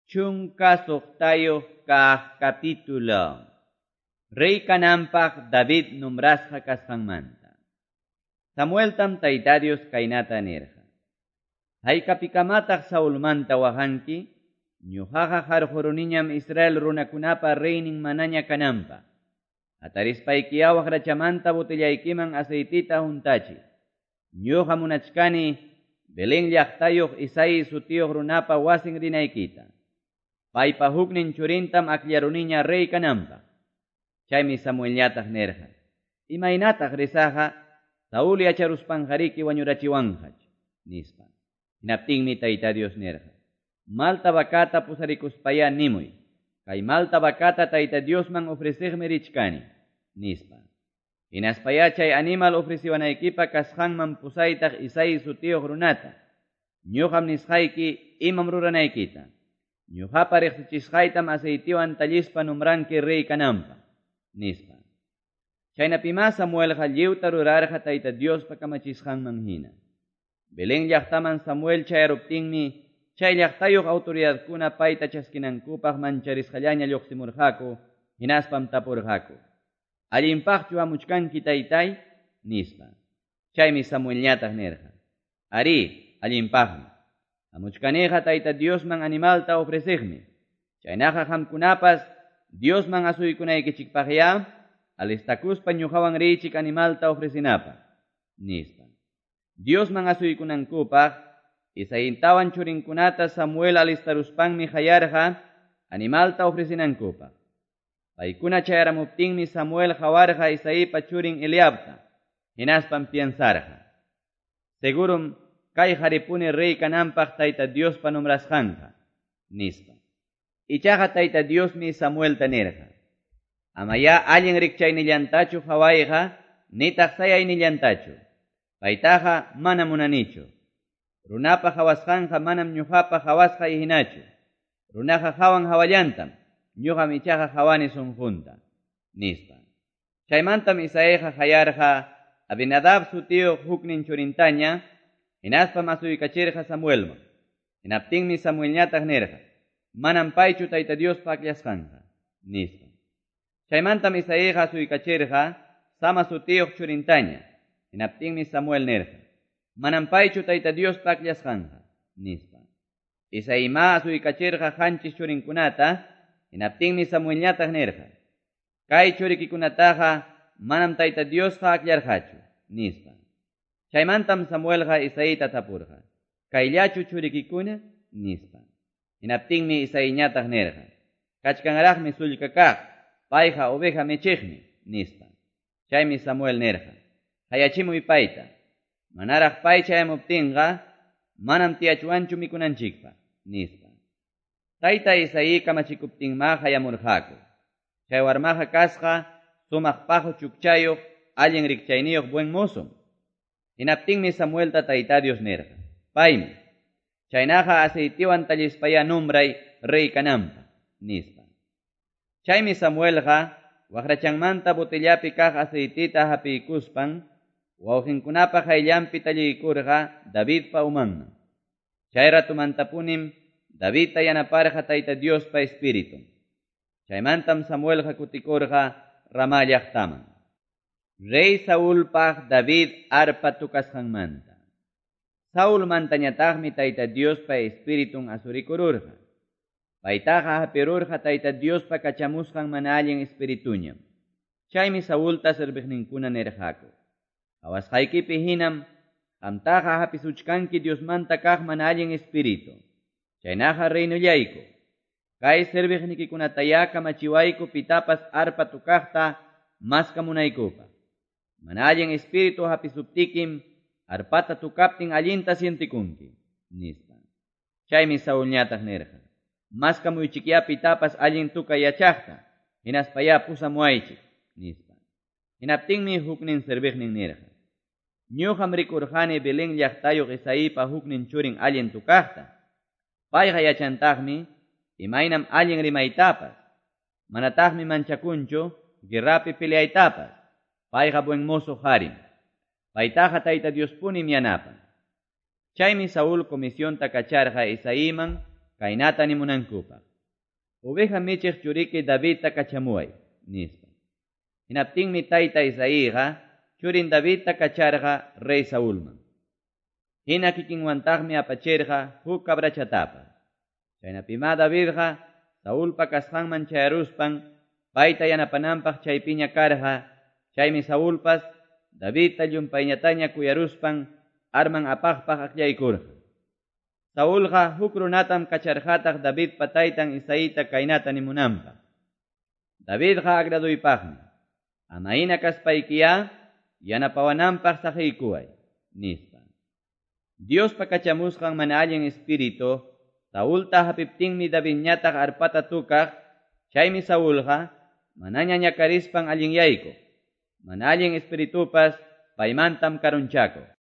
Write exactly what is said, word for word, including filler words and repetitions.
Chunka suqtayuq kaq capítulo. Rey kananpaq David nombrasqa kasqanmanta. Samueltam Tayta Dios kaynata nirqa. Haykapikamataq Saulmanta waqanki? Ñuqaqa qarquruniñam Israel runakunapa reynin manaña kananpaq. Hatarispaykiya waqrachamanta botellaykiman aceitita huntachi. Ñuqa munachkani Belén llaqtayuq Isaí sutiyuq runapa wasin rinaykita. Paypa huknin churintam akllaruniña rey kananpaq. Chaymi Samuelñataq nirqa. Imaynataq risaqa Saúl yacharuspanqariki wañurachiwanqach, nispa. Hinaptinmi Tayta Dios nirqa. Malta vacata pusarikuspaya nimuy. Kay malta vacata Tayta Diosman ofreciqmi richkani, nispa. Hinaspaya chay animal ofreciwanaykipa kasqanman pusaytaq Isaí sutiyuq runata. Ñuqam nisqayki imam ruranaykita. Ñuqapa riqsichisqaytam aceitiwan tallispa nombranki rey kananpaq, nispa. Chaynapima Samuelqa lliwta rurarqa Tayta Diospa kamachisqanman hina. Belén llaqtaman Samuel chayaruptinmi chay llaqtayuq autoridadkuna payta chaskinankupaq mancharisqallaña lluqsimurqaku, hinaspam tapurqaku. Allinpaqchu hamuchkanki taytay, nispa. Chaymi Samuelñataq nirqa. Arí, allinpaqmi. Hamuchkaniqa Tayta Diosman animalta ofreciqmi. Chaynaqa qamkunapas Diosman asuykunaykichikpaqya alistakuspa ñuqawan riychik animalta ofrecinapaq, nispa. Diosman asuykunankupaq Isaintawan churinkunata Samuel alistaruspanmi hayarqa animalta ofrecinankupaq. Paykuna chayaramuptinmi Samuel qawarqa Isaípa churin Eliabta, hinaspam piensarqa. Segurum kay qaripuni rey kananpaq Tayta Diospa nombrasqanqa, nispa. Ichaqa Tayta Diosmi Samuelta nirqa. Amaya allin rikchaynillantachu qawayqa, nitaq sayaynillantachu. Paytaqa mana munanichu. Runapa qawasqanqa manam ñuqapa qawasqay hinachu. Runaqa qawan hawallantam, ñuqam ichaqa qawani sunqunta, nispa. Chaymantam Isaíqa hayarqa Abinadab sutiyuq huknin churintaña, hinaspam asuykachirqa Samuelman. Hinaptinmi Samuelñataq nirqa, manam paychu Tayta Diospa akllashqanqa, nispa. Chaymantam Isaíqa asuykachirqa Sama sutiyuq churintaña. Hinaptinmi Samuel nirqa, manam paychu Tayta Diospa akllashqanqa, nispa. Isaíma asuykachirqa qanchis churinkunata, hinaptinmi Samuelñataq nirqa, kay churikikunataqa manam Tayta Diosqa akllarqachu, nispa. Chaymantam Samuelqa Isaíta tapurqa, kayllachu churikikuna, nispa. Hinaptinmi Isaíñataq nirqa, kachkanraqmi sullka kaq, payqa oveja michiqmi, nispa. Chaymi Samuel nirqa, hayachimuy payta. Manaraq pay chayamuptinqa, manam tiyachuanchu mikunanchikpaq, nispa. Tayta Isaí kamachikuptinma hayamurqaku. Chay warmaqa kasqa sumaq paqu chukchayuq, allin rikchayniyuq buen mozom. Hinaptinmi Samuelta Tayta Dios nirqa, paymi. Chaynaqa aceitiwan tallispaya nombray rey kananpaq, nispa. Chaymi Samuelqa waqrachanmanta botellapi kaq aceitita hapiykuspan wawqinkunapa qayllanpi talliykurqa Davidpa umanman. Chay ratumantapunim Davidta yanaparqa Tayta Diospa espiritun. Chaymantam Samuelqa kutikurqa Ramá llaqtaman. Rey Saulpaq David arpa tukasqanmanta. Saulmantañataqmi Tayta Diospa espiritun asurikururqa. Paytaqa hapirurqa Tayta Diospa kachamusqan mana allin espirituñam. Chaymi Saulta serviqninkuna nirqaku. Qawasqaykipi hinam qamtaqa hapisuchkanki Diosmanta kaq mana allin espíritu. Chaynaqa reynollayku. Kay serviqnikikunataya kamachiwayku pitapas arpa tukaqta maskamunaykupaq. Mana allin espíritu hapisuptikim arpata tukaptin allinta sientikunki, nispa. Chaymi Saulñataq nirqa, maskamuychikya pitapas allin tukay yachaqta, hinaspaya pusamuaychik, nispa. Hinaptinmi huknin serviqnin nirqa, ñuqam rikurqani Belén llaqtayuq Isaípa huknin churin allin tukaqta. Payqa yachantaqmi imaynam allin rimaytapas, manataqmi manchakunchu guerrapi peleaytapas. Payqa buen mozo harim. Paytaqa Tayta Diospunim yanapan. Chaymi Saúl comisionta kacharqa Isaíman kaynata nimunankupaq. Oveja michiq churiki Davidta kachamuway, nispa. Hinaptinmi tayta Isaíqa churin Davidta kacharqa rey Saulman. Hina kikinwantaqmi apachirqa huk cabrachatapas. Chaynapimá Davidqa Saulpa kasqanman chayaruspan payta yanapananpaq chaypiña karqa, chaymi Saulpas Davidta llumpayñataña kuyaruspan arman apaqpaq akllaykurqa. Saulqa huk runatam kacharqataq Davidpa taytan Isaíta kaynata nimunanpaq. Davidqa agraduypaqmi. Ama hina kaspaykiyá yanapawananpaq saqiykuway, nispa. Diospa kachamusqan mana allin espíritu Saulta hapiptinmi Davidñataq arpata tukaq, chaymi Saulqa manaña ñakarispan allinyaykuq. Mana allin espiritupas paymantam karunchakuq.